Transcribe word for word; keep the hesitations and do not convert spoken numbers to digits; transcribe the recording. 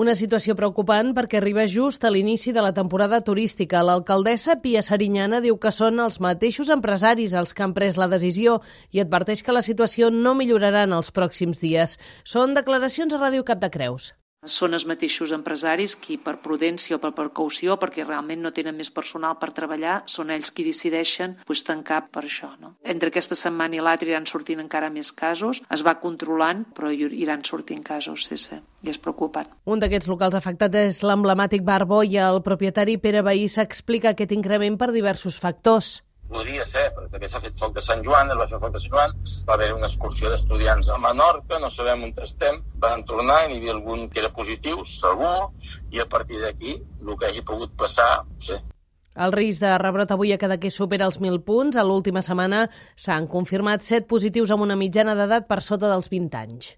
Una situació preocupant perquè arriba just a l'inici de la temporada turística. L'alcaldessa Pia Sariñana diu que són els mateixos empresaris els que han pres la decisió i adverteix que la situació no millorarà en els pròxims dies. Són declaracions a Ràdio Capdecreus. Són els mateixos empresaris qui, per prudència o per precaució, perquè realment no tenen més personal per treballar, són ells qui decideixen pues, tancar per això. No? Entre aquesta setmana i l'altra iran sortint encara més casos, es va controlant, però iran sortint casos, sí, sí, i és preocupant. Un d'aquests locals afectats és l'emblemàtic Bar Boia. El propietari Pere Bahí s'explica aquest increment per diversos factors. Podria ser, perquè també s'ha fet foc de Sant Joan, es va fer foc de Sant Joan, va haver una excursió d'estudiants a Menorca, no sabem on estem, van tornar i n'hi havia algun que era positiu, segur, i a partir d'aquí, el que hagi pogut passar, no sé. El risc de rebrot avui a Cadaqués supera els mil punts. A l'última setmana s'han confirmat set positius amb una mitjana d'edat per sota dels vint anys.